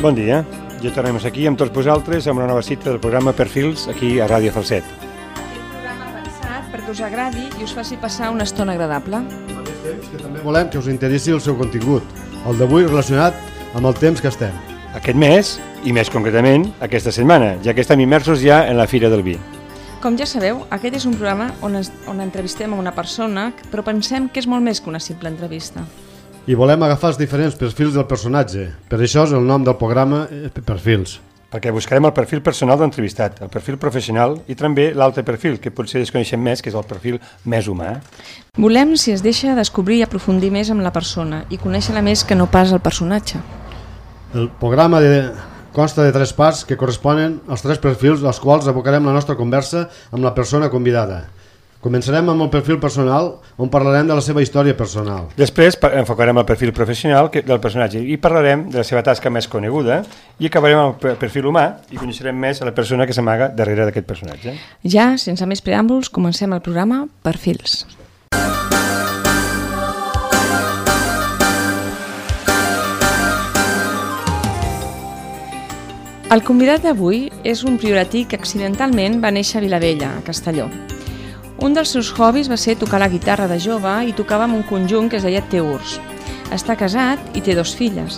Bon dia, ja tornem aquí amb tots vosaltres amb una nova cita del programa Perfils aquí a Ràdio Falset. Aquest programa pensat perquè us agradi i us faci passar una estona agradable. Al mateix temps que també volem que us interessi el seu contingut, el d'avui relacionat amb el temps que estem. Aquest mes, i més concretament, aquesta setmana, ja que estem immersos ja en la Fira del Vi. Com ja sabeu, aquest és un programa on entrevistem a una persona, però pensem que és molt més que una simple entrevista. I volem agafar els diferents perfils del personatge. Per això és el nom del programa Perfils. Perquè buscarem el perfil personal de l'entrevistat, el perfil professional i també l'altre perfil, que potser desconeixem més, que és el perfil més humà. Volem, si es deixa, descobrir i aprofundir més amb la persona i conèixer-la més que no pas el personatge. El programa consta de 3 parts que corresponen als 3 perfils als quals abocarem la nostra conversa amb la persona convidada. Començarem amb el perfil personal, on parlarem de la seva història personal. Després enfocarem el perfil professional del personatge i parlarem de la seva tasca més coneguda i acabarem amb el perfil humà i coneixerem més a la persona que s'amaga darrere d'aquest personatge. Ja, sense més preàmbuls, comencem el programa Perfils. El convidat d'avui és un prioratí que accidentalment va néixer a Vilavella, a Castelló. Un dels seus hobbies va ser tocar la guitarra de jove i tocava amb un conjunt que es deia Teurs. Està casat i té 2 filles.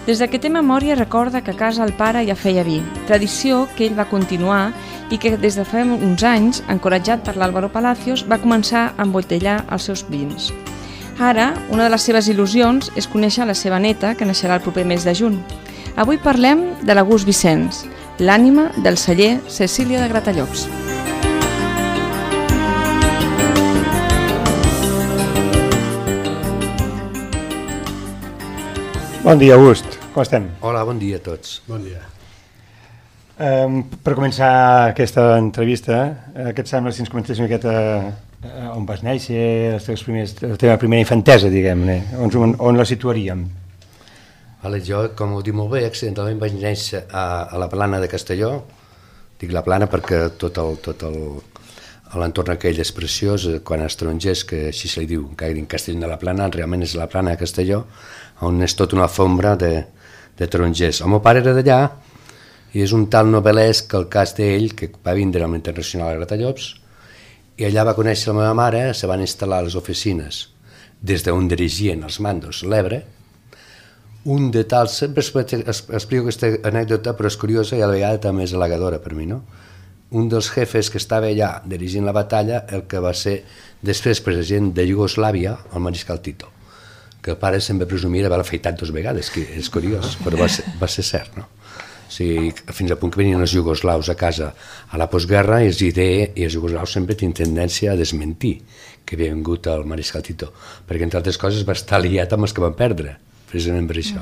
Des que té memòria recorda que a casa el pare ja feia vi, tradició que ell va continuar i que des de fa uns anys, encoratjat per l'Álvaro Palacios, va començar a embotellar els seus vins. Ara, una de les seves il·lusions és conèixer la seva neta, que naixerà el proper mes de juny. Avui parlem de l'August Vicenç, l'ànima del celler Cecília de Gratallops. Bon dia, August. Com estem? Hola, bon dia a tots. Bon dia. Per començar aquesta entrevista, què et sembla si ens comentes una miqueta on vas néixer, la teva primera infantesa, diguem-ne, on la situaríem? Vale, jo, com ho dic molt bé, accidentalment vaig néixer a la Plana de Castelló. Dic la Plana perquè tot l'entorn aquell és preciós, quan a estrangers, que així se li diu, que en Castell de la Plana, realment és la Plana de Castelló, on és tota una alfombra de tarongers. El meu pare era d'allà i és un tal novel·lesc el cas d'ell, que va vindre amb l'Internacional a Gratallops, i allà va conèixer la meva mare, se van instal·lar a les oficines des d'on dirigien els mandos l'Ebre. Un de tal, sempre explico aquesta anècdota, però és curiosa i a la vegada també és halagadora per mi, no? Un dels jefes que estava allà dirigint la batalla, el que va ser després president de Iugoslàvia, el mariscal Tito, que el pare sempre presumia d'haver afeitat 2 vegades, que és curiós, però va ser cert, no? O sigui, fins al punt que venien els iugoslaus a casa a la postguerra i els iugoslaus sempre tenen tendència a desmentir que havia vingut el mariscal Tito, perquè entre altres coses va estar liat amb els que van perdre, precisament per això.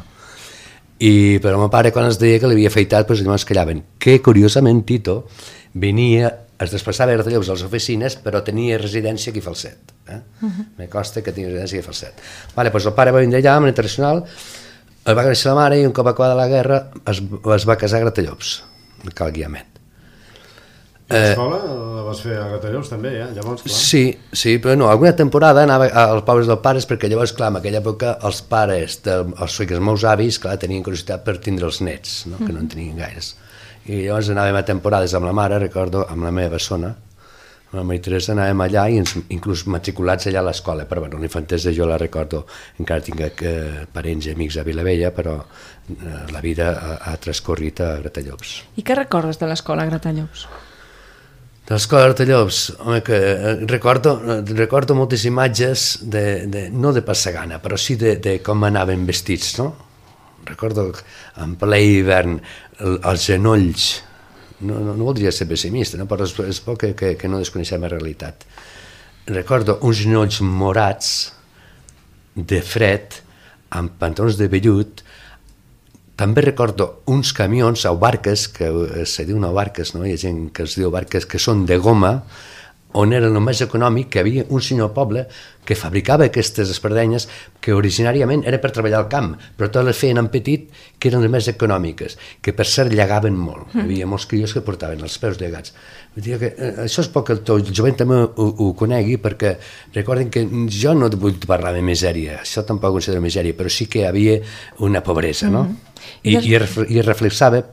I però el meu pare, quan es deia que l'havia afeitat, doncs llavors callaven, que curiosament Tito venia, es desplaçava a Gratallops a les oficines, però tenia residència aquí a Falset. Me consta que tenia residència aquí a Falset. Vale, doncs el pare va vindre allà amb l'Internacional, el va créixer la mare i un cop acabada la guerra es va casar a Gratallops, a Cal Guiamet. L'escola la vas fer a Gratallops també, llavors, clar. Sí, però no, alguna temporada anava als pobles dels pares perquè llavors, clar, en aquella època els pares, els meus avis, clar, tenien curiositat per tindre els nets, no? Que no en tenien gaires. I llavors anàvem a temporades amb la mare, recordo, amb la meva bessona, amb la Maria Teresa, anàvem allà i inclús matriculats allà a l'escola, però bueno, l'infantesa jo la recordo, encara tinc parents i amics a Vilavella, però la vida ha transcorrit a Gratallops. I què recordes de l'escola a Gratallops? De l'escola de Gratallops, home, que recordo moltes imatges, no de passagana, però sí de com anaven vestits, no? Recordo en ple hivern els genolls, no voldria ser pessimista, no? Però és bo que no desconeixem la realitat. Recordo uns genolls morats de fred amb pantalons de vellut. També recordo uns camions o barques, que se diu barques, no? Hi ha gent que es diu barques, que són de goma, on era el més econòmic, que hi havia un senyor al poble que fabricava aquestes espardenyes que originàriament era per treballar al camp, però totes les feien en petit, que eren les més econòmiques, que per cert llegaven molt. Hi havia molts crios que portaven els peus llegats. Vull dir que això és poc que el jovent també ho conegui, perquè recordin que jo no vull parlar de misèria, això tampoc ho considero misèria, però sí que hi havia una pobresa, no? I es reflexava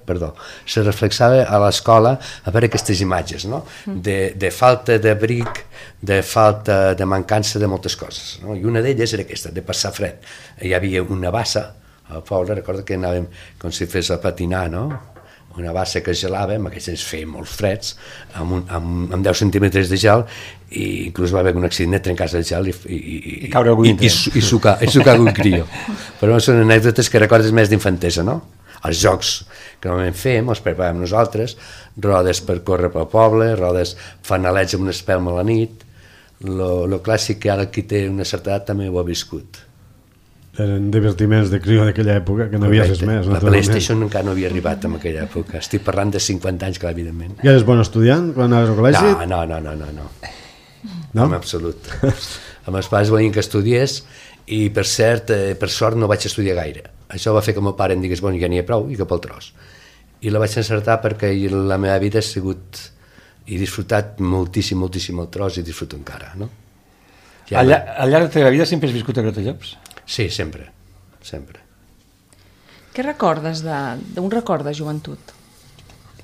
a l'escola a veure aquestes imatges, no? De falta d'abric, de falta de mancança de moltes coses, no? I una d'elles era aquesta, de passar fred. Hi havia una bassa al poble, recordo que anàvem com si fes a patinar, no? Una bassa que gelava, en aquells anys feia molt freds, amb 10 centímetres de gel, i inclús va haver un accident de trencar-se el gel i caure algú dintre. I sucar algun crió. Però són anècdotes que recordes més d'infantesa, no? Els jocs que normalment fèiem, els preparàvem nosaltres, rodes per córrer pel poble, rodes fanalets amb una espelma a la nit, lo clàssic que ara qui té una certa edat també ho ha viscut. Eren divertiments de crió d'aquella època, que no havia res més. La PlayStation encara no havia arribat en aquella època. Estic parlant de 50 anys, clar, evidentment. I eres bon estudiant quan anaves al col·legi? No. En absolut. Els meus pares volien que estudiés i, per cert, per sort no vaig estudiar gaire. Això va fer que el meu pare em digués, ja n'hi ha prou i cap al tros. I la vaig encertar perquè la meva vida ha sigut... He disfrutat moltíssim el tros i disfruto encara, no? Al llarg de la teva vida sempre has viscut a Gratallops? Sí, sempre. Què recordes d'un record de joventut?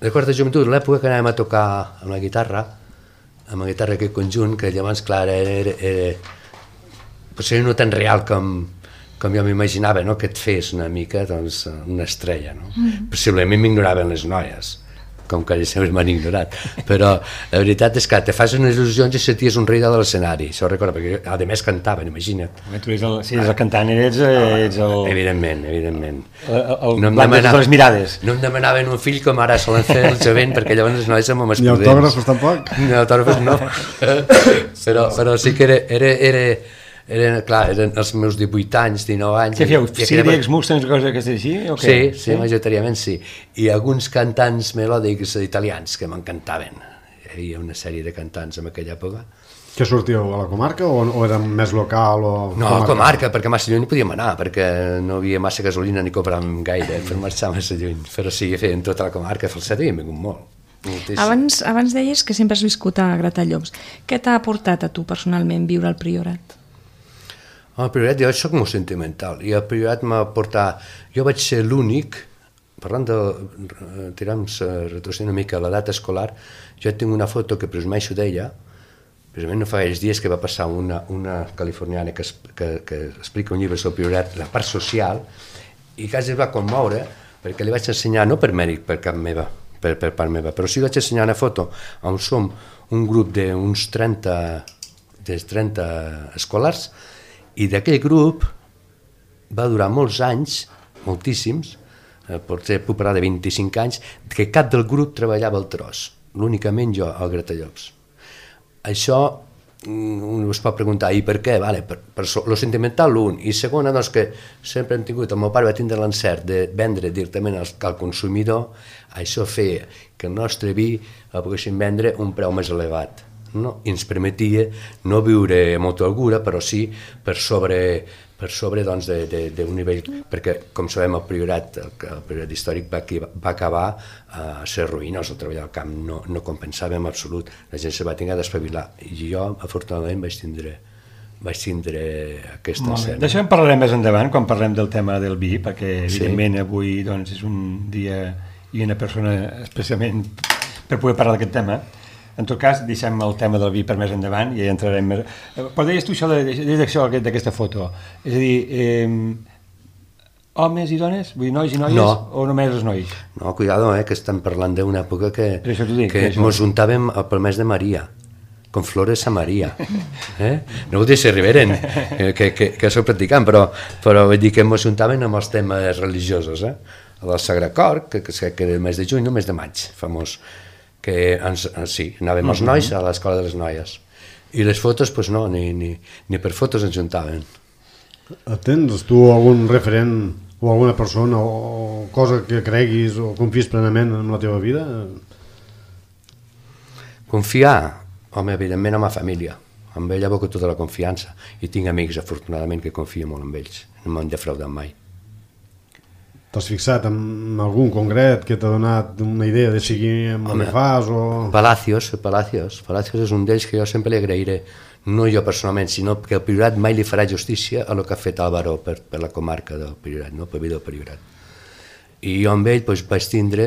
Record de joventut, l'època que anàvem a tocar amb la guitarra aquest conjunt, que llavors, clar, potser no tan real com jo m'imaginava, no? Que et fes una mica, doncs, una estrella, no? Possiblement m'ignoraven les noies, com que sempre m'han ignorat, però la veritat és que te fas unes il·lusions i senties un rei de l'escenari, això ho recordo, perquè a més cantaven, imagina't. Tu si eres el cantant, ets el... Evidentment. El blanc de les mirades. No em demanaven un fill com ara solen fer el jovent, perquè llavors les noies som més prudents. Ni autògrafos tampoc? Ni autògrafos no, però sí que eren els meus 18 anys, 19 anys... Què fèieu? Sírics, Mustangs, coses que així? Sí, majoritàriament sí. I alguns cantants melòdics italians que m'encantaven. Hi havia una sèrie de cantants en aquella època. Que sortíeu a la comarca o era més local? No, a la comarca, perquè massa lluny no podíem anar, perquè no havia massa gasolina ni compràvem gaire per marxar massa lluny. Però sí, feien tota la comarca, Falset havien vingut molt. Abans deies que sempre has viscut a Gratallops. Què t'ha aportat a tu personalment viure al Priorat? Al Priorat jo soc molt sentimental i al Priorat m'ha portat... Jo vaig ser l'únic, parlant de retrocedint una mica a l'edat escolar, jo tinc una foto que presumeixo d'ella, precisament no fa gaires dies que va passar una californiana que explica un llibre sobre el Priorat, la part social, i quasi es va commoure perquè li vaig ensenyar, no per mèrit per part meva, però sí vaig ensenyar una foto on som un grup d'uns 30 escolars, i d'aquell grup va durar molts anys, moltíssims, potser puc parlar de 25 anys, que cap del grup treballava al tros, l'únicament jo al Gratallops. Això un es pot preguntar, i per què? Vale, per lo sentimental, l'un, i segona, doncs que sempre hem tingut, el meu pare va tindre l'encert de vendre directament al consumidor, això feia que el nostre vi el poguéssim vendre a un preu més elevat. No? I ens permetia no viure amb molta holgura, però sí per sobre doncs, d'un nivell, perquè com sabem el Priorat històric va acabar a ser ruïnós, el treballar al camp no compensava en absolut, la gent se va tenir d'espavilar i jo afortunadament vaig tindre aquesta escena. D'això en parlarem més endavant quan parlem del tema del vi, perquè evidentment avui doncs, és un dia i una persona especialment per poder parlar d'aquest tema. En tot cas, deixem el tema del vi per més endavant i ja entrarem més... Però deies tu això d'aquesta foto, és a dir, homes i dones? Vull dir, nois i noies? No. O només els nois? No, cuidado, que estem parlant d'una època que ens juntàvem pel mes de Maria, con flores a Maria. No vull dir si arriberen, que soc practicant, però vull dir que ens juntàvem amb els temes religiosos. El Sagre Cor, que era el mes de juny, no el mes de maig, famós, que anàvem els nois a l'escola de les noies. I les fotos, doncs no, ni per fotos ens juntaven. Tens tu algun referent o alguna persona o cosa que creguis o confies plenament en la teva vida? Confiar? Home, evidentment amb la família. Amb ell aboco tota la confiança. I tinc amics, afortunadament, que confio molt en ells. No m'han defraudat mai. T'has fixat en algun concret que t'ha donat una idea de seguir amb el que fas? Palacios és un d'ells que jo sempre li agrairé. No jo personalment, sinó que el Priorat mai li farà justícia a el que ha fet Álvaro per la comarca del Priorat, no? Per vida del Priorat. I jo amb ell vaig tindre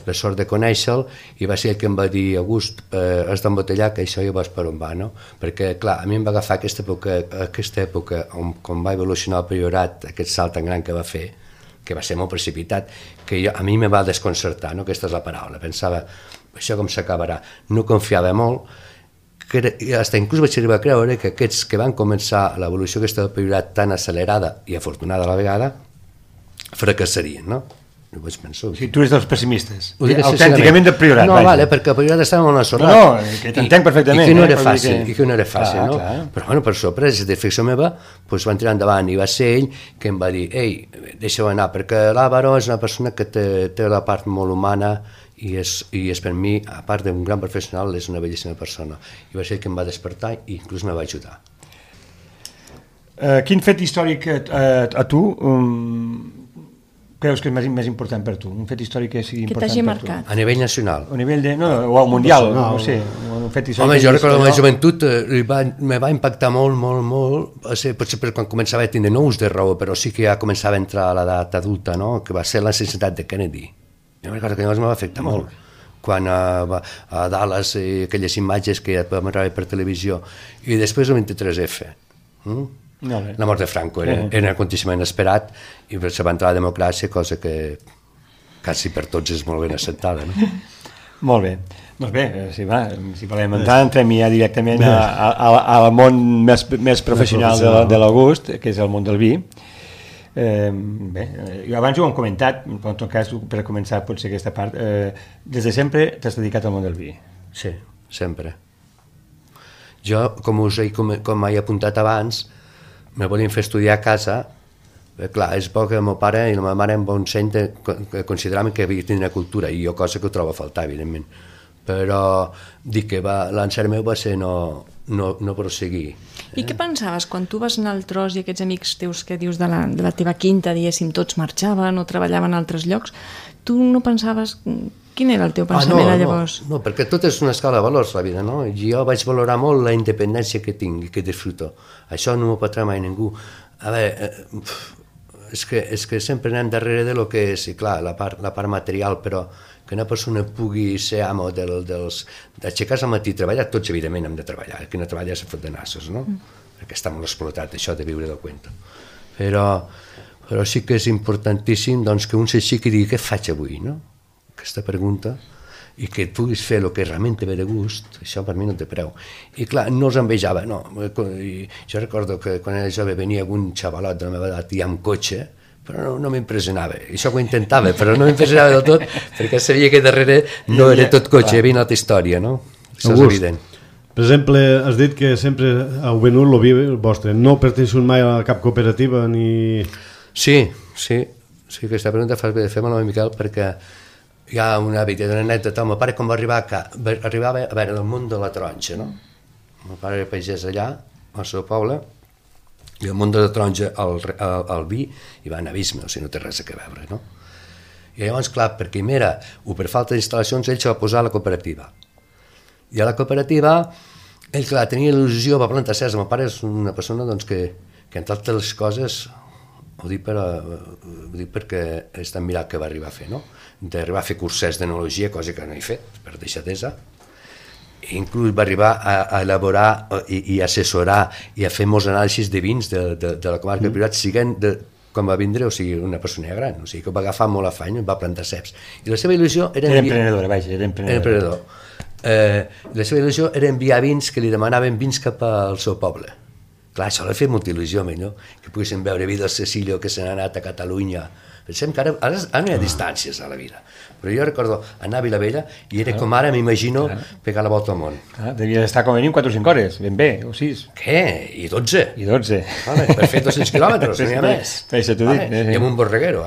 la sort de conèixer-lo i va ser ell que em va dir: August, has d'embotellar, que això ja vas per on va, no? Perquè, clar, a mi em va agafar aquesta època on va evolucionar el Priorat, aquest salt tan gran que va fer, que va ser molt precipitat, que a mi me va desconcertar, no? Aquesta és la paraula. Pensava, això com s'acabarà? No confiava molt, fins inclús vaig arribar a creure que aquests que van començar l'evolució aquesta del Priorat tan accelerada i afortunada a la vegada fracassarien, no? No vaig pensar. O sigui, tu eres dels pessimistes, autènticament del Priorat. No, vale, perquè el Priorat estava molt ensorrat. No, que t'entenc perfectament. I que no era fàcil, no? Però, bueno, per sorpresa de ficció meva, doncs van tirar endavant i va ser ell que em va dir: ei, deixa-ho anar, perquè l'Àvaro és una persona que té la part molt humana i és per mi, a part d'un gran professional, és una bellíssima persona. I va ser que em va despertar i inclús me va ajudar. Quin fet històric a tu creus que és més important per tu? Un fet històric que sigui important per tu? Que t'hagi marcat. A nivell nacional. A nivell de... o al mundial, no sé. Un fet històric. Home, jo recordo la joventut, me va impactar molt, potser quan començava a tindre nous de raó, però sí que ja començava a entrar a l'edat adulta, no? Que va ser l'assassinat de Kennedy. Jo recordo que llavors me va afectar molt. Quan a Dallas, aquelles imatges que ja vam veure per televisió, i després el 23F. La mort de Franco era un aconteixement esperat i se va entrar a la democràcia, cosa que quasi per tots és molt ben acceptada, no? Molt bé. Doncs bé, si volem entrar, entrem ja directament al món més professional de l'August, que és el món del vi. Bé, abans ho hem comentat, però en tot cas, per començar potser aquesta part, des de sempre t'has dedicat al món del vi. Sí, sempre. Jo, com he apuntat abans, me volien fer estudiar a casa. Clar, és bo que el meu pare i la meva mare em van consideraven que havia de tenir cultura, i jo cosa que ho trobo a faltar, evidentment, però dic que l'encert meu va ser no prosseguir. I què pensaves quan tu vas anar al tros i aquests amics teus que dius de la teva quinta, diguéssim, tots marxaven o treballaven a altres llocs, tu no pensaves... Quin era el teu pensament llavors? No, perquè tot és una escala de valors, la vida, no? Jo vaig valorar molt la independència que tinc i que disfruto. Això no m'ho patrà mai ningú. A veure, és que sempre anem darrere de lo que és, i clar, la part material, però que una persona pugui ser amo d'aixecar-se al matí i treballar, tots evidentment hem de treballar, el que no treballa se fot de nassos, no? Perquè està molt explotat això de viure del cuento. Però sí que és importantíssim doncs, que un s'aixequi i digui què faig avui, no? Aquesta pregunta, i que et puguis fer el que realment te ve de gust, això per mi no té preu. I clar, no els envejava, no. Jo recordo que quan era jove venia algun xavalot de la meva edat i amb cotxe, però no m'impressionava. Això ho intentava, però no m'impressionava del tot, perquè sabia que darrere no era tot cotxe, hi havia una altra història, no? Això és evident. Per exemple, has dit que sempre heu venut el vi vostre, no pertanyeu mai a cap cooperativa ni... Sí, aquesta pregunta fas bé de fer-me-la, Miquel, perquè hi ha una anècdota. El meu pare, quan arribava a veure el món de la taronja, no? El meu pare era pagès allà, al seu poble, i el món de la taronja, el vi, hi va en abisme, o sigui, no té res a veure, no? I llavors, clar, perquè mira, o per falta d'instal·lacions, ell se va posar a la cooperativa. I a la cooperativa, ell, clar, tenia il·lusió, va plantar certs. El meu pare és una persona doncs, que entre altres les coses, ho dic perquè és tan mirat que va arribar a fer, no? D'arribar a fer cursets d'enologia, cosa que no he fet, per deixadesa. Inclús va arribar a elaborar i assessorar i a fer molts anàlisis de vins de la comarca del Priorat, siguent quan va vindre, o sigui, una persona gran, o sigui, que ho va agafar molt afany, va plantar ceps. I la seva il·lusió era... Era emprenedor. La seva il·lusió era enviar vins que li demanaven vins cap al seu poble. Clar, això l'ha fet molta il·lusió, no? Que poguessin veure vi del Cecilio que se n'ha anat a Catalunya. Pensem que ara no hi ha distàncies a la vida, però jo recordo anar a Vilavella i era com ara m'imagino pegar la volta al món. Devia estar com a mínim 4 o 5 hores, ben bé, o 6. Què? I 12? I 12. Vale, per fer 200 quilòmetres, no hi ha més. I amb un borreguero,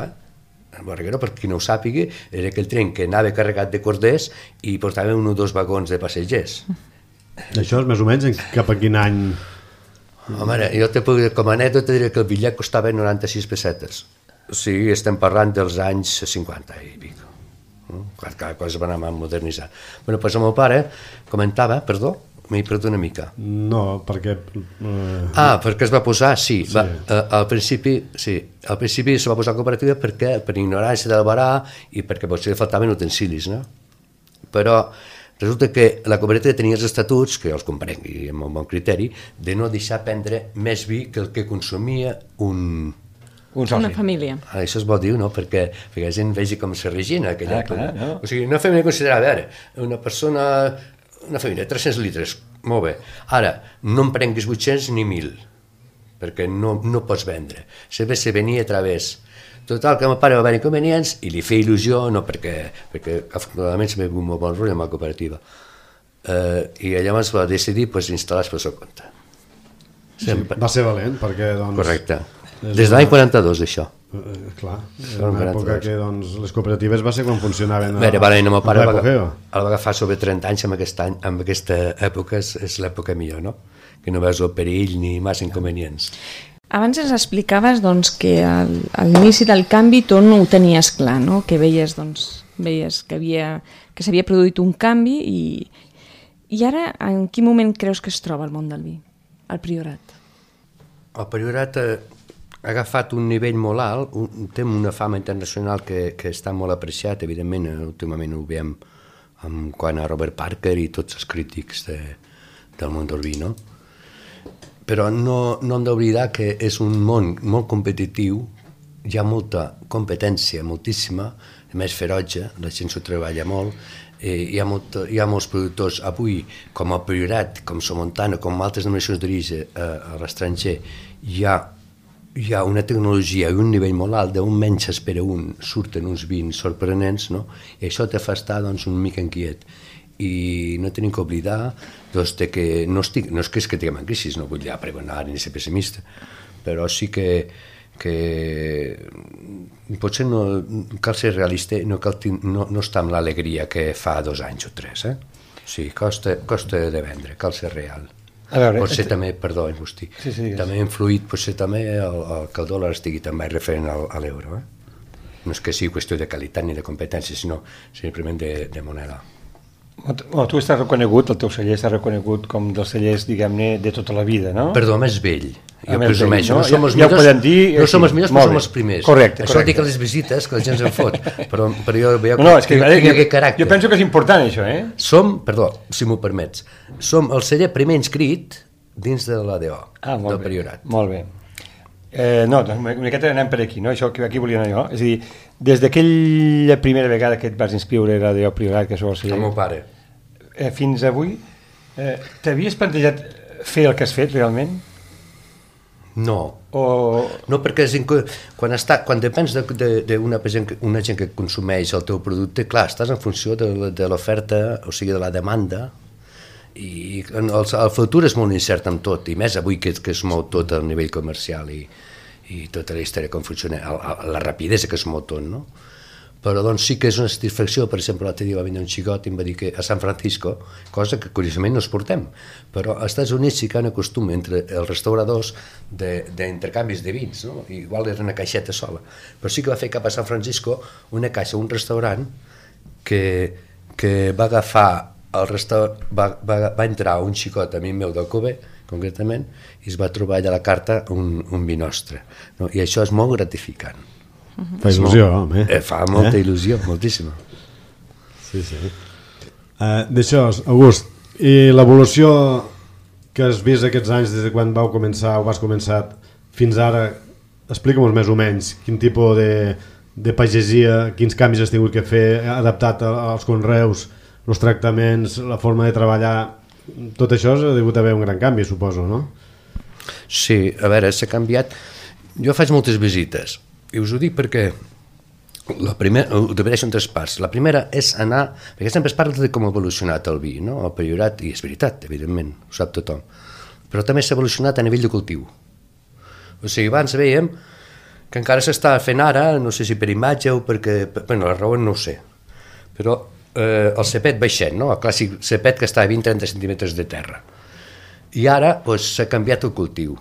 El borreguero, per qui no ho sàpiga, era aquell tren que anava carregat de corders i portava 1 o 2 vagons de passatgers. Això és més o menys cap a quin any? Home, jo te puc dir, com a anècdota diré que el bitllet costava 96 pessetes. O sigui, estem parlant dels anys 50 i pic. Cada cosa va anar modernitzant. Bueno, doncs el meu pare comentava, m'he perdut una mica. No, perquè... perquè es va posar, sí. Al principi se va posar cooperativa perquè, per ignorància del barà i perquè potser faltaven utensilis, no? Però resulta que la cooperativa tenia els estatuts, que jo els comprenc i amb un bon criteri, de no deixar prendre més vi que el que consumia un soci. Una família. Això es vol dir, no? Perquè la gent vegi com se regina aquella època. No? O sigui, una família considerada, a veure, una família, 300 litres, molt bé. Ara, no em prenguis 800 ni 1.000, perquè no pots vendre. Se venia a través. Total, que el meu pare va haver inconvenients i li feia il·lusió, no perquè afortunadament se m'ha vingut molt bon rotllo amb la cooperativa. I llavors va decidir instal·lar-se pel seu compte. Va ser valent, perquè... Correcte. Des de l'any 42, això. Clar, era una època que les cooperatives va ser quan funcionaven el meu pare el va agafar sobre 30 anys en aquesta època, és l'època millor, no? Que no veus el perill ni massa inconvenients. Abans ens explicaves que a l'inici del canvi tu no ho tenies clar, no? Que veies que s'havia produït un canvi i ara en quin moment creus que es troba el món del vi, el Priorat? El Priorat ha agafat un nivell molt alt, té una fama internacional que està molt apreciat, evidentment, últimament ho veiem quant a Robert Parker i tots els crítics del món del vi, no? Però no hem d'oblidar que és un món molt competitiu, hi ha molta competència, moltíssima, més ferotge, la gent s'ho treballa molt, hi ha molts productors avui, com el Priorat, com Somontano, com altres denominacions d'origen a l'estranger, hi ha una tecnologia i un nivell molt alt, d'un menys espera surten uns vins sorprenents, no? I això te fa estar una mica inquiet. I no tenim que oblidar que no és que estiguem en crisi, no vull pregonar ni ser pessimista, però sí que potser no cal ser realista, no està amb l'alegria que fa 2 anys o 3. Sí, costa de vendre, cal ser real. Potser també, perdó, Agustí, també ha influït potser també que el dòlar estigui també referent a l'euro. No és que sigui qüestió de qualitat ni de competència, sinó simplement de moneda. Tu estàs reconegut, el teu celler està reconegut com dels cellers, diguem-ne, de tota la vida, no? Perdó, més vell. Jo presumeixo, no som els millors, però som els primers. Correcte. Això dic a les visites, que la gent se'n fot, però jo veia que aquest caràcter. Jo penso que és important, això, Som, perdó, si m'ho permets, som el celler primer inscrit dins de l'ADO, del Priorat. Molt bé. No, doncs una miqueta anem per aquí, no? Això que aquí volia anar jo. És a dir, des d'aquella primera vegada que et vas inscriure a l'ADO Priorat, que sou el celler... El meu pare. Fins avui, t'havies plantejat fer el que has fet, realment? No, perquè quan depens d'una gent que consumeix el teu producte, clar, estàs en funció de l'oferta, o sigui, de la demanda, i el futur és molt incert amb tot, i més avui que es mou tot a nivell comercial i tota la història com funciona, la rapidesa que es mou tot, no? Però doncs sí que és una satisfacció. Per exemple, l'altre dia va venir un xicot i em va dir que a San Francisco, cosa que curiosament no es portem, però als Estats Units sí que hi ha un costum entre els restauradors d'intercanvis de vins, no? Igual era una caixeta sola, però sí que va fer cap a San Francisco una caixa, un restaurant que va agafar va entrar un xicot, amic meu d'Alcover, concretament, i es va trobar allà a la carta un vi nostre, no? I això és molt gratificant. Fa il·lusió, home. Fa molta il·lusió, moltíssima. Sí. D'això, August, i l'evolució que has vist aquests anys des de quan vas començar fins ara, explica'm més o menys quin tipus de pagesia, quins canvis has tingut que fer, adaptat als conreus, els tractaments, la forma de treballar, tot això ha degut haver un gran canvi, suposo, no? Sí, a veure, s'ha canviat. Jo faig moltes visites, i us ho dic perquè ho divideixo en 3 parts. La primera és anar, perquè sempre es parla de com ha evolucionat el vi, no? El Priorat, i és veritat, evidentment, ho sap tothom, però també s'ha evolucionat a nivell de cultiu. O sigui, abans veiem que encara s'està fent ara, no sé si per imatge o perquè, bueno, la raó no ho sé, però el cepet baixant, no? El clàssic cepet que està a 20-30 centímetres de terra. I ara s'ha canviat el cultiu.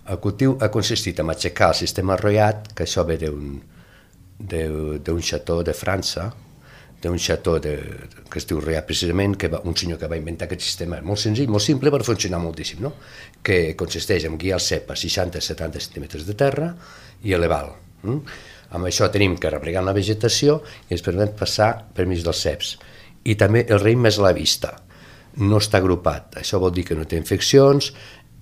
El cultiu ha consistit en aixecar el sistema arrollat, que això ve d'un xató de França, d'un xató que es diu Royat precisament, un senyor que va inventar aquest sistema molt senzill, molt simple, per funcionar moltíssim, no? Que consisteix en guiar el cep a 60-70 centímetres de terra i elevar-lo. Amb això tenim que replegar la vegetació i ens permet passar per mig dels ceps. I també el raïm és a la vista, no està agrupat, això vol dir que no té infeccions,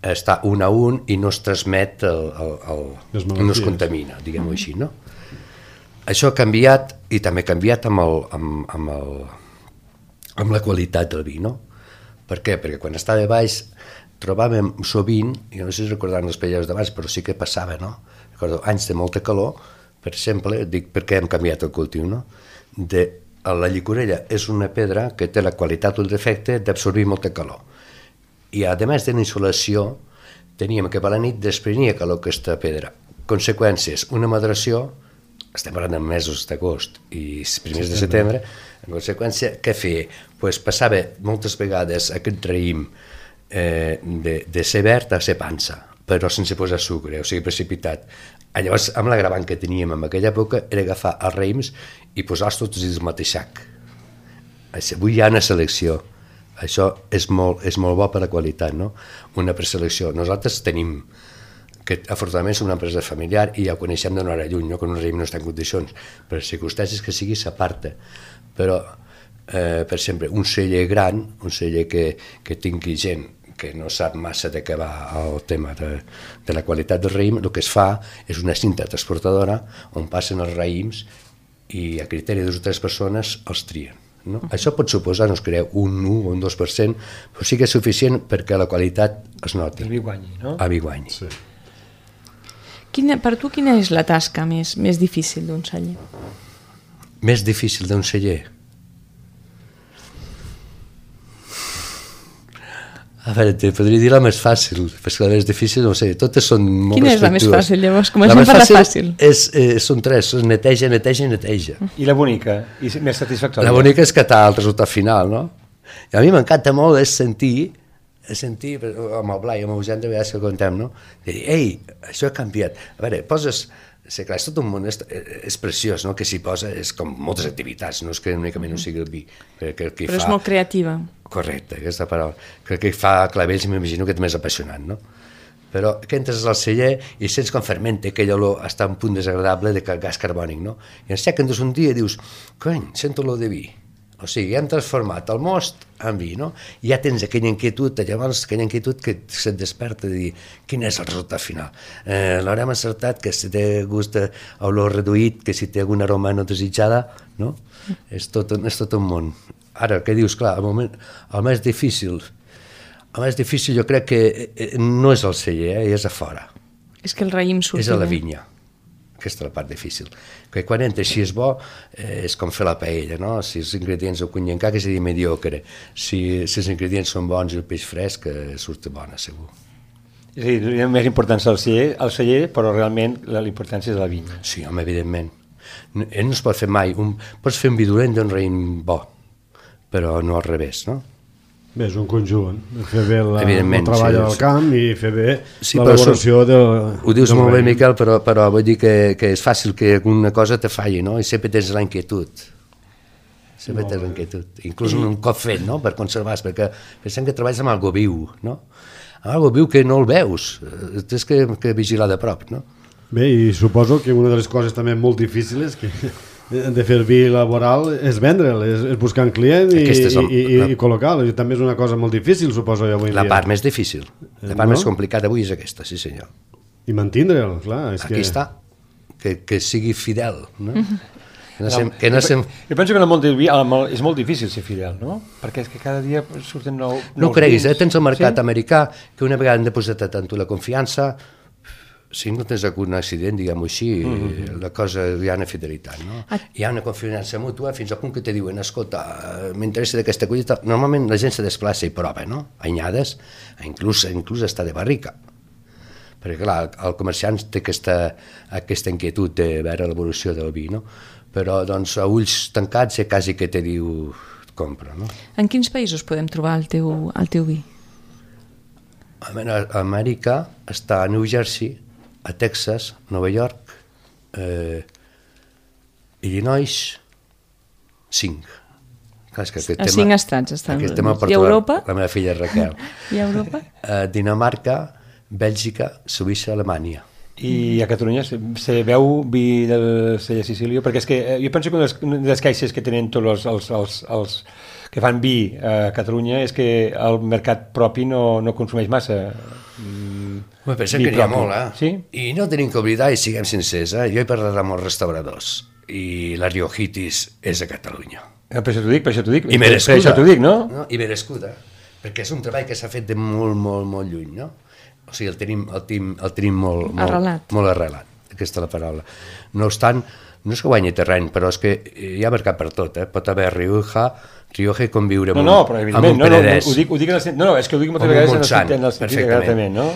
està un a un i no es transmet, no es contamina, diguem-ho així, no? Això ha canviat i també ha canviat amb la qualitat del vi, no? Per què? Perquè quan estava baix trobàvem sovint, jo no sé si recordant els països d'abans, però sí que passava, no? Recordo anys de molta calor, per exemple, dic per què hem canviat el cultiu, no? La llicorella és una pedra que té la qualitat o el defecte d'absorbir molta calor. I a més de la insolació, teníem que per la nit desprenia calor aquesta pedra. Conseqüències, una maduració, estem parlant de mesos d'agost i primers de setembre, en conseqüència, què feia? Pues passava moltes vegades aquest raïm de ser verd a ser pansa, però sense posar sucre, o sigui, precipitat. Llavors, amb l'agravant que teníem en aquella època, era agafar els raïms i posar-los tots dins del mateix sac. Avui hi ha una selecció. Això és molt bo per la qualitat, no? Una preselecció. Nosaltres tenim, que afortunadament som una empresa familiar i ja ho coneixem d'una hora lluny, no? Que un raïm no està en condicions, per circumstàncies que sigui s'aparta. Però, per exemple, un celler gran, un celler que tingui gent que no sap massa de què va el tema de la qualitat del raïm, el que es fa és una cinta transportadora on passen els raïms i a criteri de 2 o 3 persones els trien. No? Això pot suposar, no es creu, un 1 o un 2%, però sí que és suficient perquè la qualitat es noti. El vi guanyi, no? El vi guanyi. Sí. Per tu, quina és la tasca més difícil d'un celler? Més difícil d'un celler? A veure, te podria dir la més fàcil, perquè la més difícil, no sé, totes són molt respectuoses. Quina és la més fàcil, llavors? Comencem per la fàcil. Són 3, neteja, neteja i neteja. I la bonica? I més satisfactòria? La bonica és catar el resultat final, no? I a mi m'encanta molt sentir amb el Blai, amb el Eugeni, de vegades que contem, no? Dir, ei, això ha canviat. A veure, poses... Sí, clar, és tot un món, és preciós, no? Que s'hi posa, és com moltes activitats, no és que únicament no sigui el vi. Però és molt creativa. Correcte, aquesta paraula. Que el que fa clavells m'imagino que és més apassionant, no? Però que entres al celler i sents com fermenta, aquella olor està en punt desagradable de gas carbònic, no? I en sec, un dia i dius, cony, sento olor de vi. O sigui, hem transformat el most en vi, no? I ja tens aquella inquietud, llavors aquella inquietud que se't desperta de dir quin és el resultat final. L'haurem encertat, que si té gust d'olor reduït, que si té alguna aroma no desitjada, no? És tot un món. Ara, què dius? Clar, el més difícil jo crec que no és el celler, és a fora. És que el raïm surti. És a la vinya. Aquesta és la part difícil. Que quan entres, si és bo, és com fer la paella, no? Si els ingredients ho conyen que seria mediocre. Si els ingredients són bons i el peix fresc, surt bona, segur. És a dir, és més importància el celler, però realment l'importància és la vinya. Sí, home, evidentment. No es pot fer mai. Pots fer un vi dolent d'un raïm bo, però no al revés, no? Bé, és un conjunt, fer bé el treball al camp i fer bé l'elaboració del raïm. Ho dius molt bé, Miquel, però vull dir que és fàcil que alguna cosa te falli, no? I sempre tens la inquietud. Sempre tens la inquietud. Inclús un cop fet, no?, per conservar-se, perquè pensem que treballes amb algo viu, no? Amb algo viu que no el veus, tens que vigilar de prop, no? Bé, i suposo que una de les coses també molt difícils de fer el vi laboral és vendre'l, és buscar un client i col·locar-lo. També és una cosa molt difícil, suposo, avui en dia. La part més difícil, la part més complicada avui és aquesta, sí senyor. I mantindre'l, clar. Aquí està, que sigui fidel, no? Jo penso que en el món del vi és molt difícil ser fidel, no? Perquè és que cada dia surten nous vins. No ho creguis, tens el mercat americà que una vegada han depositat en tu la confiança. Si no tens algun accident, diguem-ho així, la cosa hi ha una fidelitat, no? Hi ha una confiança mútua fins al punt que te diuen, escolta, m'interessa d'aquesta collita. Normalment la gent se desplaça i prova, no? Anyades, inclús està de barrica. Perquè, clar, el comerciant té aquesta inquietud de veure l'evolució del vi, no? però doncs, a ulls tancats quasi que te diu compra. No? En quins països podem trobar el teu vi? A Amèrica està a New Jersey, a Texas, Nova York, Illinois, 5. Clar, que a 5 estats estan. I Europa? La meva filla Raquel. I Europa? Dinamarca, Bèlgica, Suïssa, Alemanya. I a Catalunya se veu vi del Celler Sicília? Perquè és que jo penso que una de les queixes que tenen tots els que fan vi a Catalunya és que el mercat propi no consumeix massa Pensem que n'hi ha molt, Sí? I no tenim que oblidar, i siguem sincers, jo he parlat amb els restauradors, i la riojitis és a Catalunya. Per això t'ho dic. I merescuda. Per això t'ho dic, no? I merescuda, perquè és un treball que s'ha fet de molt, molt, molt lluny, no? O sigui, el tenim molt arrelat, aquesta és la paraula. No obstant, no és que guanyi terreny, però és que hi ha mercat per tot, Pot haver Rioja i conviure amb un Penedès. Ho dic és que ho dic moltes vegades en el sentit exactament, no?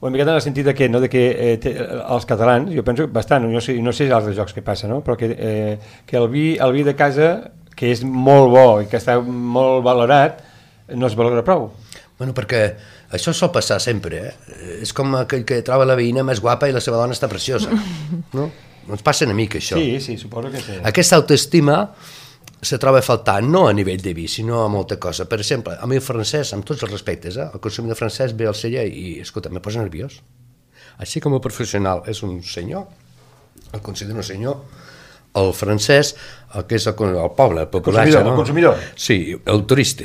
Una miqueta en el sentit de que els catalans, jo penso bastant, no sé els altres jocs que passa, no? Però que el vi de casa, que és molt bo i que està molt valorat, no es valora prou. Bueno, perquè això sol passar sempre, És com aquell que troba la veïna més guapa i la seva dona està preciosa, no? Ens passa una mica això. Sí, suposo que sí. Aquesta autoestima se troba faltant, no a nivell de vi, sinó a molta cosa. Per exemple, a mi el francès, amb tots els respectes, el consumidor francès ve al celler i, escolta, me posa nerviós. Així com el professional és un senyor, el considero un senyor, el francès, el que és el poble, el populatge, el consumidor. Sí, el turista.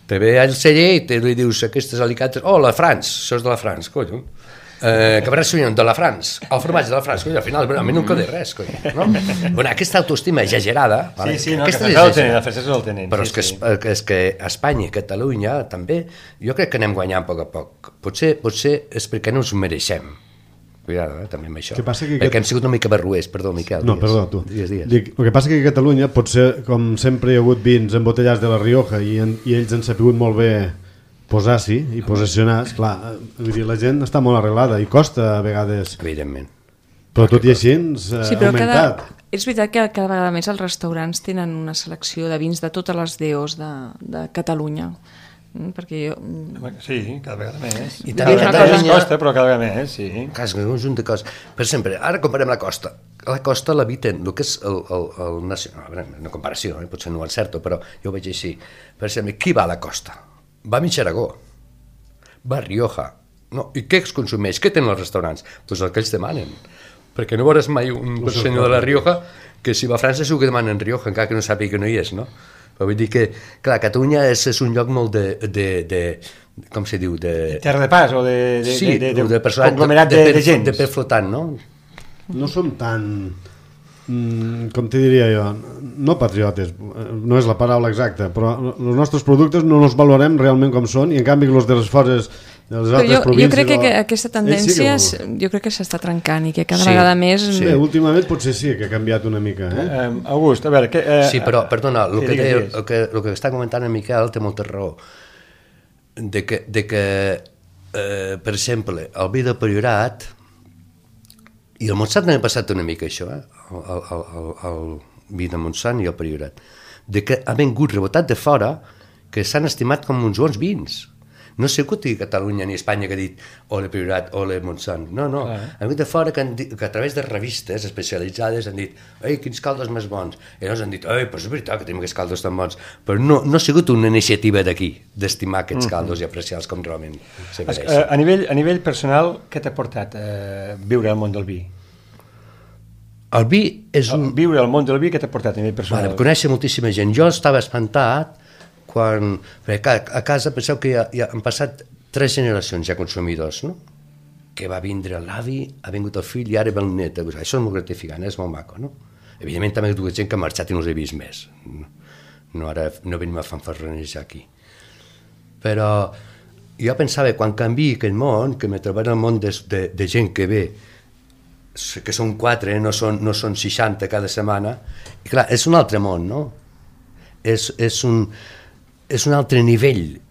Te ve al celler i te li dius aquestes alicates, la France, això és de la France, colló. Cabernet Sauvignon de la France, el formatge de la France, colló, al final a mi no em queda res, colló, no? Bueno, aquesta autoestima exagerada, sí, no, que els francesos el tenen. Però és que a Espanya i Catalunya també, jo crec que anem guanyant a poc a poc. Potser és perquè no ens ho mereixem. Cuidado, també amb això. Perquè hem sigut una mica barruers, perdó, Miquel. No, perdó, tu. Digues. El que passa que a Catalunya, potser, com sempre hi ha hagut vins embotellats de la Rioja i ells han sabut molt bé posar-s'hi i posicionar, clar, vull dir, la gent està molt arreglada i costa a vegades. Evidentment. Però tot i així ha augmentat. És veritat que cada vegada més els restaurants tenen una selecció de vins de totes les DOs de Catalunya. Perquè jo... Sí, cada vegada més. I també Catalunya costa, però cada vegada més, sí. És un conjunt de coses. Per exemple, ara comparem la costa. La costa l'habiten, el que és el nacional, una comparació, potser no ho encerto, però jo ho veig així. Per exemple, qui va a la costa? Va a Mitxaragó, va a Rioja. No? I què es consumeix? Què tenen els restaurants? Doncs el que ells demanen. Perquè no veuràs mai un senyor de la Rioja que si va a França segur que demanen Rioja, encara que no sàpiga que no hi és, no? Però vull dir que, clar, Catalunya és un lloc molt de com se diu? De terra de pas o de conglomerat de gent. De pes flotant, no? No som tan, com te diria jo, no patriotes, no és la paraula exacta, però els nostres productes no els valorem realment com són i en canvi els de les fores de les altres províncies... Jo crec que aquesta tendència jo crec que s'està trencant i que cada vegada més... Sí, últimament potser sí que ha canviat una mica. August, a veure... Sí, però, perdona, el que està comentant en Miquel té molta raó. De que per exemple, el vi de Priorat i el Montsant també ha passat una mica això, el vi de Montsant i el Priorat, de que ha vingut rebotat de fora que s'han estimat com uns bons vins. No sé que Catalunya ni Espanya que ha dit o le Priorat o le Montsant, no, han vingut de fora que a través de revistes especialitzades han dit, ei, quins caldos més bons, i llavors han dit, ei, però és veritat que tenim aquests caldos tan bons, però no ha sigut una iniciativa d'aquí d'estimar aquests caldos i apreciar-los com realment se mereixen. A nivell personal, què t'ha portat viure al món del vi? El vi és viure al món del vi, què t'ha portat a nivell personal? Conèixer moltíssima gent. Jo estava espantat quan... Perquè a casa penseu que ja han passat 3 generacions ja consumidors, no? Que va vindre l'avi, ha vingut el fill i ara ve el net. Això és molt gratificant, és molt maco, no? Evidentment també hi ha hagut gent que ha marxat i no els he vist més. No, ara no venim a fanfarronejar aquí. Però jo pensava, quan canviï aquell món, que me trobaré el món de gent que ve, que són 4, no són 60 cada setmana, i clar, és un altre món, no? És un altre nivell,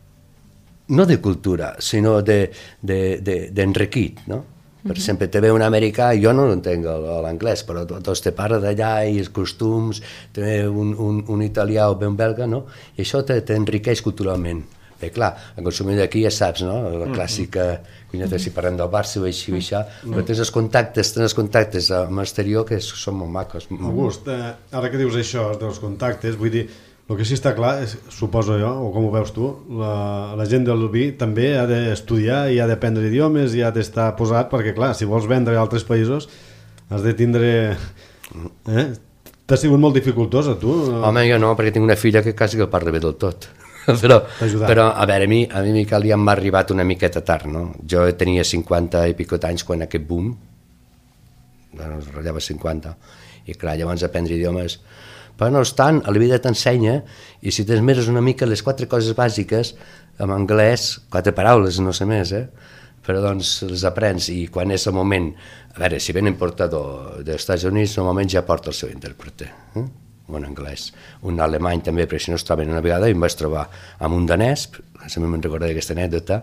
no de cultura, sinó d'enriquit, no? Per exemple, te ve un americà, jo no entenc l'anglès, però tots te parla d'allà i els costums, te ve un italià o un belga, no? I això t'enriqueix culturalment. Bé, clar, el consumidor d'aquí ja saps, no? La clàssica, si parlem del Barça o així, però tens els contactes amb l'exterior que són molt macos. August, ara que dius això dels contactes, vull dir, el que sí està clar, suposo jo, o com ho veus tu, la gent del vi també ha d'estudiar i ha d'aprendre idiomes i ha d'estar posat, perquè clar, si vols vendre a altres països has de tindre... T'ha sigut molt dificultosa, tu? Home, jo no, perquè tinc una filla que quasi que parla bé del tot. Però a veure, a mi Miquel ja m'ha arribat una miqueta tard, no? Jo tenia 50 i pico anys quan aquest boom, es ratllava 50, i clar, llavors aprendre idiomes... Però no obstant, a la vida t'ensenya, i si t'esmeres una mica les 4 coses bàsiques, en anglès, 4 paraules, no sé més, però doncs les aprens, i quan és el moment... A veure, si ve un importador dels Estats Units, normalment ja porta el seu intèrprete, un anglès, un alemany també, perquè si no es troben una vegada, i em vaig trobar amb un danès, sempre me'n recordaré aquesta anècdota,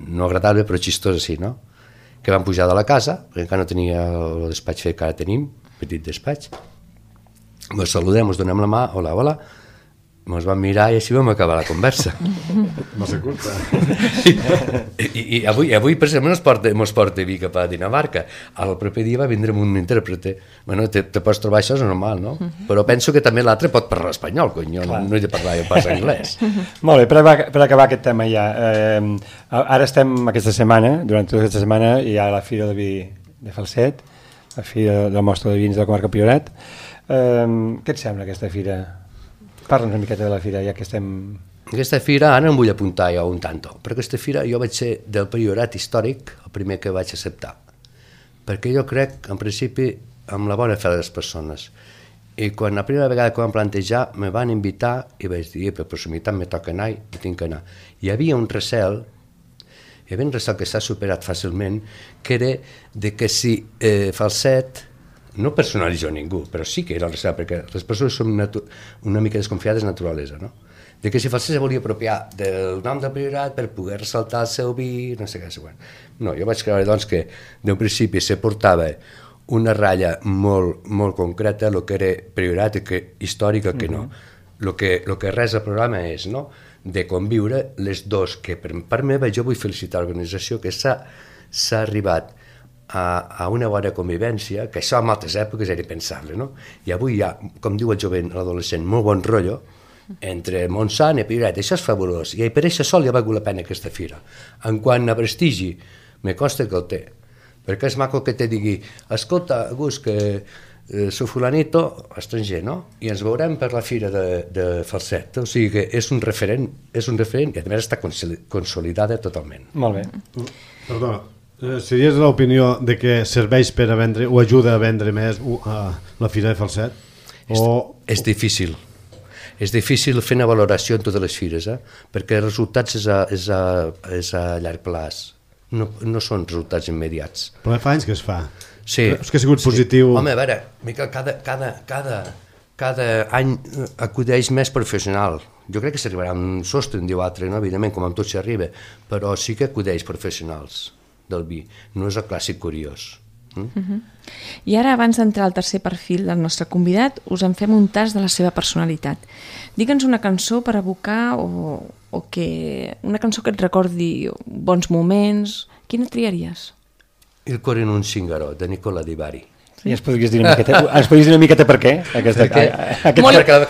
no agradable però xistós així, no? Que vam pujar de la casa, perquè encara no tenia el despatx fet que ara tenim, petit despatx, ens saludem, ens donem la mà, hola, hola, ens vam mirar i així vam acabar la conversa. Va ser curta. I avui per exemple, ens porta vi cap a Dinamarca. El proper dia va vindre amb un intèrprete. Bueno, te pots trobar, això és normal, no? Però penso que també l'altre pot parlar espanyol, cony, no he de parlar pas anglès. Molt bé, per acabar aquest tema ja, ara estem aquesta setmana, durant tota aquesta setmana hi ha la Fira del Vi de Falset, la Fira del Mostra de Vins de la Comarca Priorat. Què et sembla aquesta fira? Parla'ns una miqueta de la fira, ja que estem... Aquesta fira, ara em vull apuntar jo un tanto, però aquesta fira jo vaig ser del Priorat històric el primer que vaig acceptar, perquè jo crec, en principi, amb la bona fe de les persones. I quan la primera vegada que vam plantejar, me van invitar i vaig dir, per proximitat me toca anar i tinc que anar. Hi havia un recel que s'ha superat fàcilment, que era de que si Falset... No personalitzo ningú, però sí que era el recel, perquè les persones són una mica desconfiades de naturalesa, no? De que si Falset se volia apropiar del nom del Priorat per poder ressaltar el seu vi, no sé què, següent. No, jo vaig creure doncs que d'un principi se portava una ratlla molt concreta, el que era Priorat i que històric, el que no. El que res al programa és, no?, de conviure les dos, que per part meva jo vull felicitar l'organització, que s'ha arribat a una bona convivència, que això en altres èpoques era pensable, no? I avui hi ha, com diu el jovent, l'adolescent, molt bon rotllo entre Montsant i Priorat, això és fabulós, i per això sol ja ha valgut la pena aquesta fira. En quant a prestigi, me costa que el té, perquè és maco que te digui, escolta, August, que soc fulanito, estranger, no? I ens veurem per la fira de Falset, o sigui que és un referent i a més està consolidada totalment. Molt bé. Perdona, series l'opinió de que serveix per a vendre o ajuda a vendre més la fira de Falset? És difícil. És difícil fer una valoració en totes les fires, perquè els resultats és a llarg plaç. No són resultats immediats. Però fa anys que es fa. Sí. És que ha sigut positiu. Home, a veure, Miquel, cada any acudeix més professional. Jo crec que s'arribarà a un sostre, en diu altre, no? Evidentment, com amb tot s'arriba, però sí que acudeix professionals del vi, no és el clàssic curiós. I ara, abans d'entrar al tercer perfil del nostre convidat, us en fem un tas de la seva personalitat. Digue'ns una cançó per evocar una cançó que et recordi bons moments. Quina triaries? Il cuore in un zingaro, de Nicola Di Bari. I ens podries dir una miqueta per què?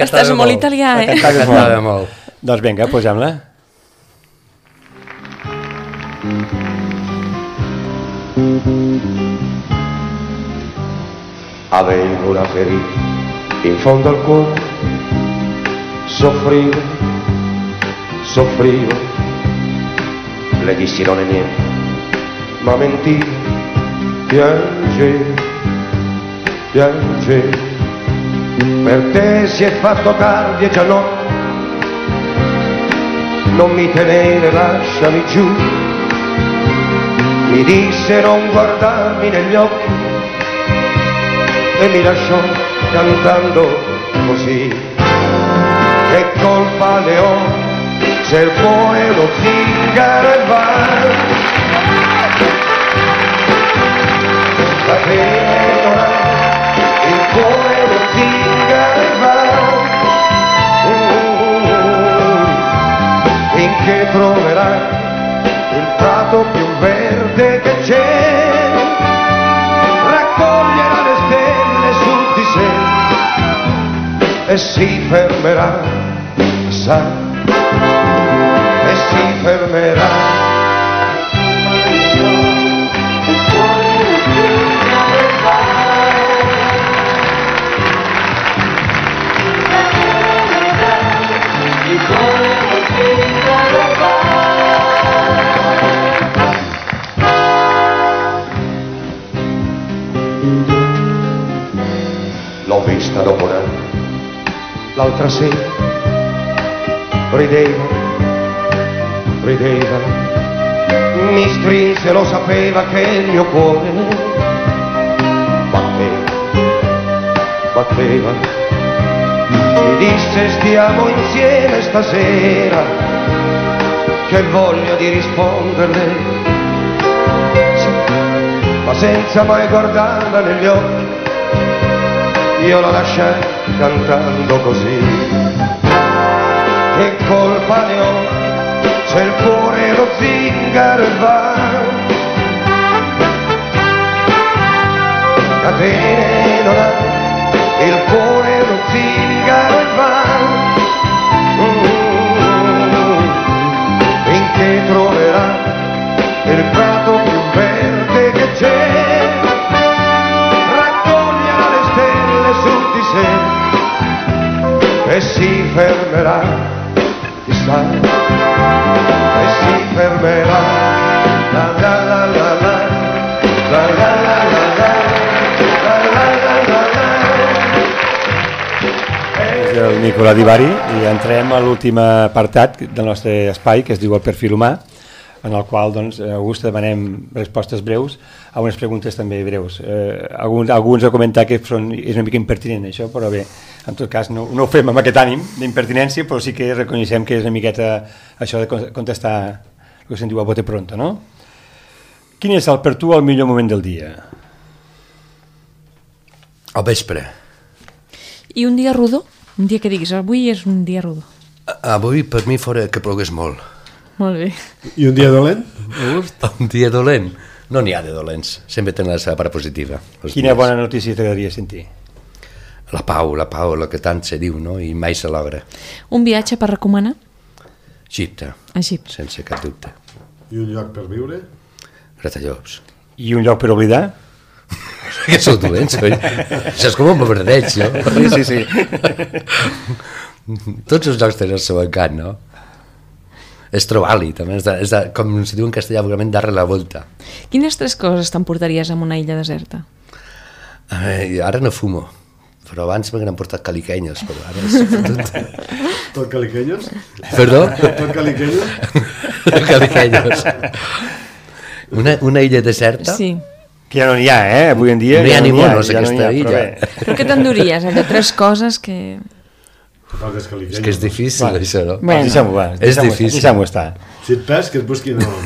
Estàs molt italià, Cantava molt. Doncs vinga, posem-la. Avevo una ferita in fondo al cuore, soffrivo, le dissi non è niente, ma mentivo, piangevo, per te si è fatto tardi e già notte, non mi tenere, lasciami giù, mi disse non guardarmi negli occhi, e mi lasciò cantando così. Che colpa ne ho se il cuore lo zingaro e va, e si fermerà, sa, e si fermerà. L'ho vista dopo l'altra sera, rideva, mi strinse, lo sapeva che il mio cuore batteva, mi disse stiamo insieme stasera, che voglia di risponderle, sì, ma senza mai guardarla negli occhi, io la lasciai cantando così. Che colpa ne ho se il cuore lo zingaro va, catene non ha, il cuore lo zingaro va, finché troverà il prato più verde che c'è, su di sé e si fermerà, chissà, e si fermerà, la la la la la, la la la la la, la la la la la. És el Nicola Divari i entrem a l'últim apartat del nostre espai, que es diu el perfil humà, en el qual, doncs, a August demanem respostes breus a unes preguntes també breus. Alguns han comentat que és una mica impertinent això, però bé, en tot cas no ho fem amb aquest ànim d'impertinència, però sí que reconeixem que és una miqueta això de contestar el que se'n diu a bote pronto, no? Quin és per tu el millor moment del dia? Al vespre. I un dia rodó? Un dia que diguis, avui és un dia rodó. Avui per mi fora que plogués molt. Molt bé. I un dia dolent? Un dia dolent? No n'hi ha de dolents, sempre tenen la seva part positiva. Quina bona notícia t'agradaria sentir? La pau, el que tant se diu, no? I mai se logra. Un viatge per recomanar? Egipte. Egipte. Sense cap dubte. I un lloc per viure? Gratallops. I un lloc per oblidar? Que sou dolents, oi? Això és com un bombardeig, no? Sí. Tots els llocs tenen el seu encant, no? És trobar-li, també. Com se diu en castellà, vulgarment, darre la volta. Quines 3 coses t'emportaries en una illa deserta? Ara no fumo, però abans m'han portat caliquenyos, però ara és... Tot caliquenyos? Perdó? Tot caliquenyos? Caliquenyos. Una illa deserta? Sí. Que ja no n'hi ha, avui en dia. No hi ha ni monos, aquesta illa. Però què t'enduries? Allò 3 coses que... És que és difícil, això, no? Bueno. Deixem-ho estar. Si et pes, que et busquin on.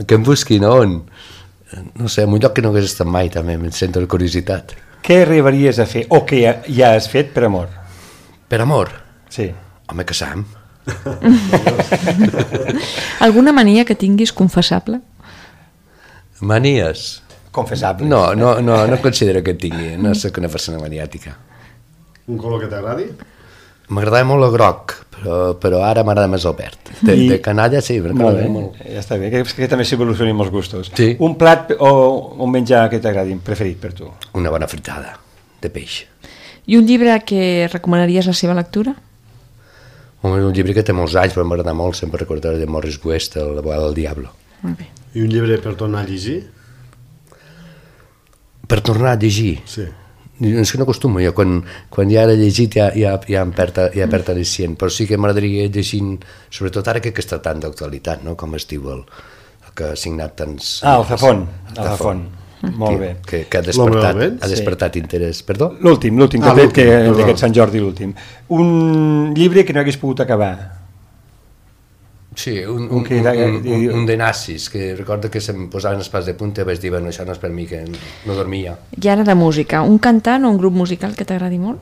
Que em busquin on? No sé, en un lloc que no hagués estat mai, també, em sento la curiositat. Què arribaries a fer, o que ja has fet per amor? Per amor? Sí. Home, casam. Alguna mania que tinguis confessable? Manies? Confessable. No considero que tingui, no soc una persona maniàtica. Un color que t'agradi? M'agradava molt el groc, però ara m'agrada més el verd. De canalla, sí, molt bé. Ja està bé, que també s'evolucionin molts gustos. Sí. Un plat o un menjar que t'agradi, preferit per tu? Una bona fritada de peix. I un llibre que recomanaries la seva lectura? Un llibre que té molts anys, però m'agrada molt, sempre recordaré de Morris West, El abogado del diablo. Molt bé. I un llibre per tornar a llegir? Per tornar a llegir? Sí. És que no acostumo, jo quan ja he llegit ja em perd al·licient, però sí que m'agradaria llegint, sobretot ara que està tan d'actualitat, no? Com es diu el que ha signat tants... El Zafón. Molt bé. Que ha despertat interès. Perdó? L'últim, que d'aquest Sant Jordi, l'últim. Un llibre que no hagués pogut acabar. Sí, un de nazis, que recordo que se'm posaven els pals de punta i vaig dir, bueno, això no és per mi, que no dormia. I ara de música, un cantant o un grup musical que t'agradi molt?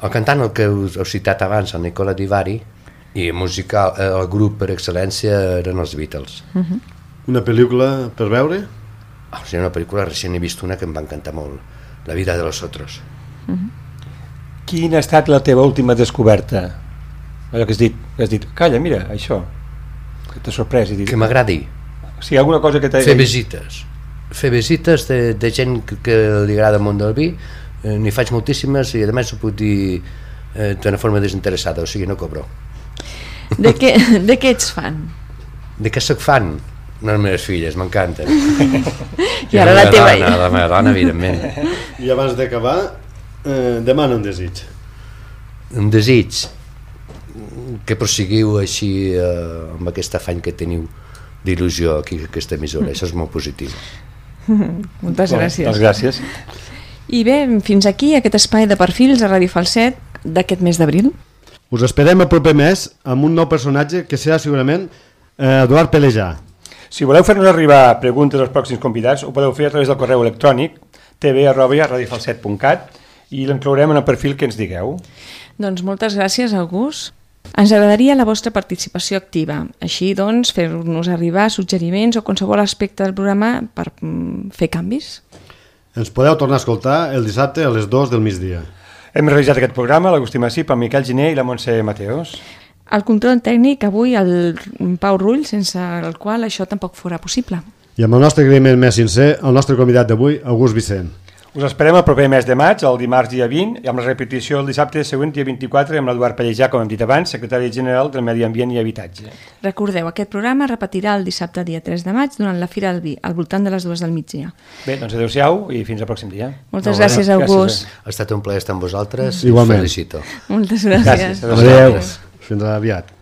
El cantant, el que us heu citat abans, el Nicola Divari, i musical, el grup per excel·lència eren els Beatles. Una pel·lícula per veure? Sí, una pel·lícula, recent he vist una que em va encantar molt, La vida de los otros. Quina ha estat la teva última descoberta? Allò que has dit, calla, mira, això, que t'ha sorprès. I dit, Que m'agradi. Sí, alguna cosa que t'ha... Fer visites de gent que li agrada el món del vi, n'hi faig moltíssimes i a més ho puc dir d'una forma desinteressada, o sigui, no cobro. De què ets fan? De què soc fan? Les meves filles, m'encanten. I ara la teva... La meva dona, evidentment. I abans d'acabar, demana un desig. Un desig que prosseguiu així amb aquest afany que teniu d'il·lusió aquí a aquesta emissora, això és molt positiu. Moltes gràcies. Doncs gràcies. I bé, fins aquí aquest espai de perfils a Ràdio Falset d'aquest mes d'abril. Us esperem el proper mes amb un nou personatge que serà segurament Eduard Pelejà. Si voleu fer-nos arribar preguntes als pròxims convidats, ho podeu fer a través del correu electrònic tv@radiofalset.cat i l'inclourem en el perfil que ens digueu. Doncs moltes gràcies, August. Ens agradaria la vostra participació activa. Així, doncs, fer-nos arribar suggeriments o qualsevol aspecte del programa per fer canvis. Ens podeu tornar a escoltar el dissabte a les 2 del migdia. Hem realitzat aquest programa l'Agustí Massip, el Miquel Giner i la Montse Mateos. El control tècnic avui el Pau Rull, sense el qual això tampoc fora possible. I amb el nostre agraïment més sincer, el nostre convidat d'avui, August Vicent. Us esperem el proper mes de maig, el dimarts dia 20, i amb la repetició el dissabte següent, dia 24, amb l'Eduard Pellejà, com hem dit abans, secretari general del Medi Ambient i Habitatge. Recordeu, aquest programa repetirà el dissabte dia 3 de maig durant la Fira del Vi, al voltant de les 2 del migdia. Bé, doncs adeu-siau i fins al pròxim dia. Moltes gràcies, August. Ha estat un plaer estar amb vosaltres. Igualment. Us felicito. Moltes gràcies. Gràcies. Adéu. Fins aviat.